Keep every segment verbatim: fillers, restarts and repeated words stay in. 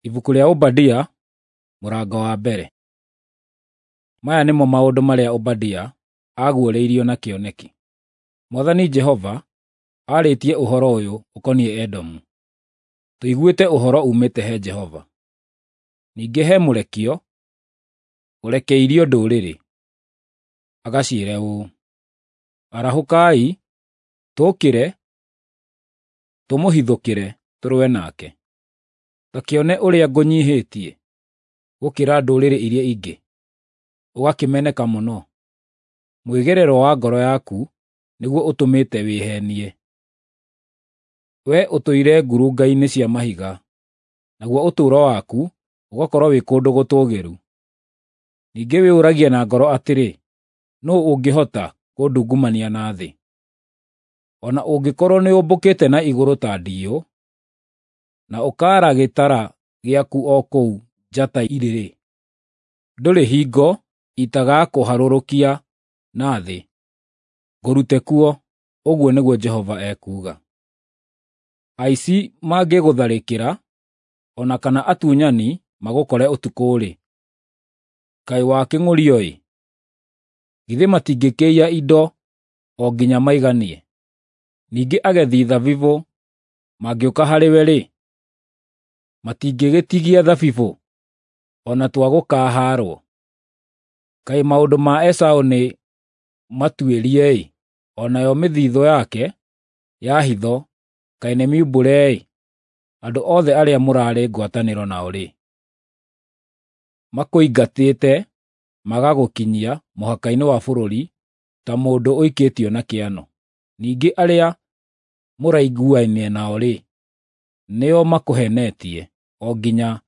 Ibuku rĩa Obadia, mũrango wa mbere. Maya nĩmo maũndũ marĩa Obadia aaguũrĩirio na kĩoneki. Mwathani Jehova aarĩtie ũhoro ũyũ ũkoniĩ Edomu. Tũiguĩte ũhoro uumĩte he Jehova. Ningĩ he mũrekio ũrekeirio ndũrĩrĩ, agaciĩre ũũ: Arahũkai, tũũkĩre, tũmũhithũkĩre tũrũe nake. Ta kĩone ũrĩa ngũnyiihĩtie gũkĩra ndũrĩrĩ iria ingĩ, ũgakĩmeneka mũno. Mwĩgerero wa ngoro yaku nĩguo ũtũmĩte wĩheenie. Wee ũtũire ngurunga-inĩ cia mahiga, naguo ũtũũro waku ũgakorwo wĩ kũndũ gũtũũgĩru. Ningĩ wĩyũragia na ngoro atĩrĩ, ‘Nũũ ũngĩhota kũndungumania na thĩ?’ O na ũngĩkorwo nĩũmbũkĩte na igũrũ ta ndiyũ, na ũkaara gĩtara gĩaku o kũu njata irĩ-rĩ, ndũrĩ hingo itagakũharũrũkia na thĩ, ngũrute kuo, ũguo nĩguo Jehova ekuuga. Aici mangĩgũtharĩkĩra, o na kana atunyani magũkore ũtukũ-rĩ, kaĩ wakĩng'ũrio-ĩ! Githĩ matingĩkĩiya indo o nginya maiganie? Ningĩ agethi thabibũ mangĩũka harĩwe-rĩ, matingĩgĩtigia thabibũ o na twa gũkahaarwo? Kaĩ maũndũ ma Esaũ nĩ matuĩrie-ĩ, o nayo mĩthithũ yake ya hitho kaĩ nĩ miumbũre-ĩ! Andũ othe arĩa mũraarĩ ngwatanĩro nao-rĩ, makũingatĩte magagũkinyia mũhaka-inĩ wa bũrũri ta mũndũ ũikĩtio na kĩano. Ningĩ arĩa mũraiguaine nao-rĩ, nĩo makũheenetie o nginya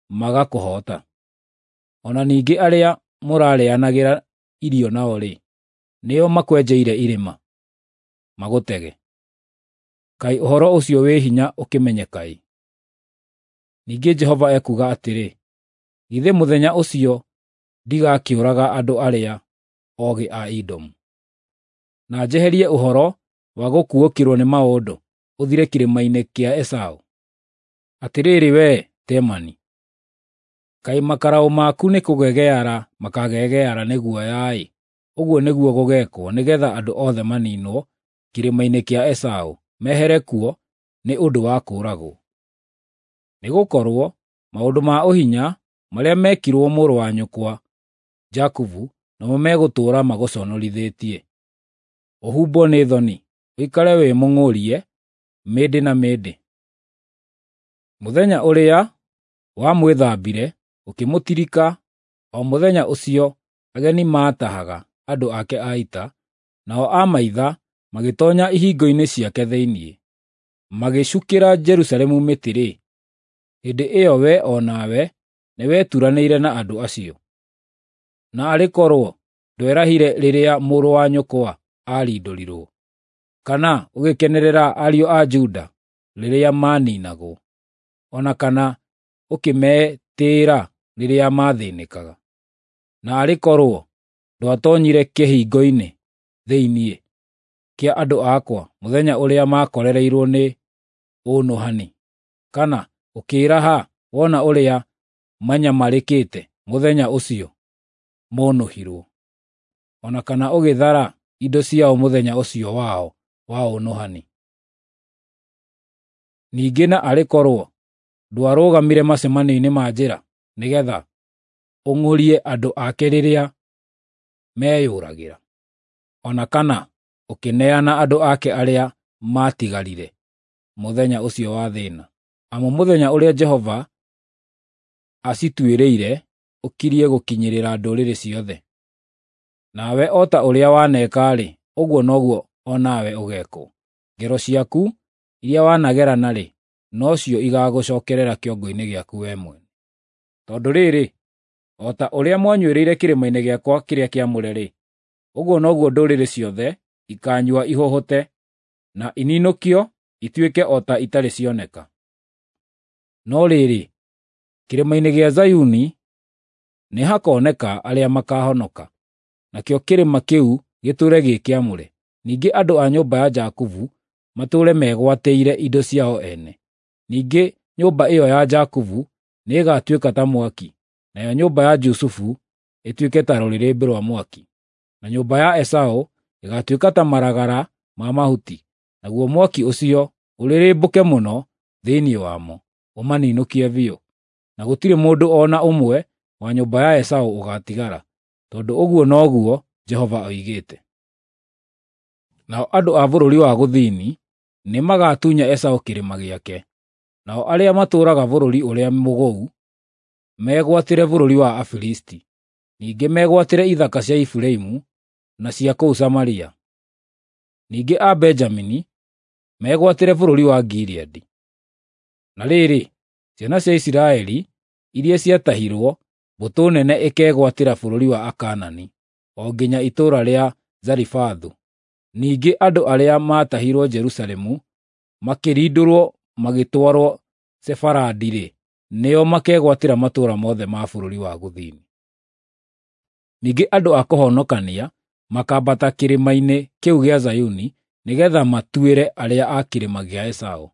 magakũhoota. O na ningĩ arĩa mũrarĩanagĩra irio nao-rĩ, nĩo makwenjeire irima, magũtege. Kaĩ ũhoro ũcio wĩ hinya ũkĩmenyeka-ĩ! Ningĩ Jehova ekuuga atĩrĩ, githĩ mũthenya ũcio ndigakĩũraga andũ arĩa oogĩ a Edomu, na njeherie ũhoro wa gũkuũkĩrwo nĩ maũndũ ũthire kĩrĩma-inĩ kĩa Esaũ? Atĩrĩrĩ wee Temani, kaĩ makaraũ maku nĩkũgegeara makagegeara nĩ guoya-ĩ! Ũguo nĩguo gũgeekwo nĩgeetha andũ othe maniinwo kĩrĩma-inĩ kĩa Esaũ mehere kuo nĩ ũndũ wa kũũragwo. Nĩgũkorwo maũndũ ma ũhinya marĩa meekirwo mũrũ wa nyũkwa Jakubu nomo megũtũũra magũconorithĩtie. Ũhumbwo nĩ thoni, ũikare wĩ mũng'ũrie mĩndĩ na mĩndĩ. Mũthenya ũrĩa wamwĩthambire ũkĩmũtirika, o mũthenya ũcio ageni maatahaga andũ ake a ita, nao amaitha magĩtoonya ihingo-inĩ ciake thĩinĩ, magĩcukĩra Jerusalemu mĩtĩ-rĩ, hĩndĩ ĩyo we o nawe nĩweturanĩire na andũ acio. Na arĩ korwo ndwerahire rĩrĩa mũrũ wa nyũkwa aarindũrirwo, kana ũgĩkenerera ariũ a Juda rĩrĩa maaniinagwo, o na kana ũkĩmetĩĩra rĩrĩa maathĩĩnĩkaga. Na arĩ korwo ndwatoonyire kĩhingo-inĩ thĩinĩ kĩa andũ akwa mũthenya ũrĩa maakorereirwo nĩ ũnũhani, kana ũkĩĩraha wona ũrĩa manyamarĩkĩte mũthenya ũcio monũhirwo, o na kana ũgĩthara indo ciao mũthenya ũcio wao wa ũnũhani. Ningĩ na arĩ korwo ndwarũgamire macemanio-inĩ ma njĩra nĩgeetha ũng'ũrie andũ ake rĩrĩa meyũragĩra, o na kana ũkĩneana andũ ake arĩa maatigarire mũthenya ũcio wa thĩĩna. Amu mũthenya ũrĩa Jehova acituĩrĩire ũkirie gũkinyĩrĩra ndũrĩrĩ ciothe. Nawe o ta ũrĩa waneka-rĩ, ũguo noguo o nawe ũgeekwo. Ngero ciaku iria wanagerana-rĩ, nocio igaagũcookerera kĩongo-inĩ gĩaku wee mwene. Tondũ rĩrĩ, o ta ũrĩa mwanyuĩrĩire kĩrĩma-inĩ gĩakwa kĩrĩa kĩamũre-rĩ, ũguo noguo ndũrĩrĩ ciothe ikaanyua ihũhũte, na ininũkio ituĩke o ta itarĩ cioneka. No rĩrĩ, kĩrĩma-inĩ gĩa Zayuni nĩhakoneka arĩa makaahonoka, nakĩo kĩrĩma kĩu gĩtũũre gĩ kĩamũre. Ningĩ andũ a nyũmba ya Jakubu matũũre megwatĩire indo ciao ene. Ningĩ nyũmba ĩyo ya Jakubu nĩĩgatuĩka ta mwaki, nayo nyũmba ya Jusufu ĩtuĩke ta rũrĩrĩmbĩ rwa mwaki, na nyũmba ya Esaũ ĩgaatuĩka ta maragara ma mahuti, naguo mwaki ũcio ũrĩrĩmbũke mũno thĩinĩ wamo, ũmaninũkie biũ. Na gũtirĩ mũndũ o na ũmwe wa nyũmba ya Esaũ ũgaatigara, tondũ ũguo noguo Jehova oigĩte. Nao andũ a bũrũri wa gũthini nĩmagatunya Esaũ kĩrĩma gĩake, nao arĩa matũũraga bũrũri ũrĩa mũgũu megwatĩre bũrũri wa Afilisti, ningĩ megwatĩre ithaka cia Efiraimu na cia kũu Samaria. Ningĩ a Benjamini megwatĩre bũrũri wa Gileadi. Na rĩrĩ, ciana cia Isiraeli iria ciatahirwo, mbũtũ nene ĩkegwatĩra bũrũri wa Akaanani, o nginya itũũra rĩa Zarifathu. Ningĩ andũ arĩa maatahirwo Jerusalemu makĩrindũrwo magĩtwarwo Sefaradi-rĩ, nĩo makegwatĩra matũũra mothe ma bũrũri wa gũthini. Ningĩ andũ a kũhonokania makaambata kĩrĩma-inĩ kĩu gĩa Zayuni nĩgeetha matuĩre arĩa a kĩrĩma gĩa Esaũ.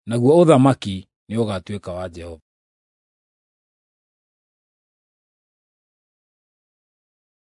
Naguo ũthamaki nĩũgatuĩka wa Jehova.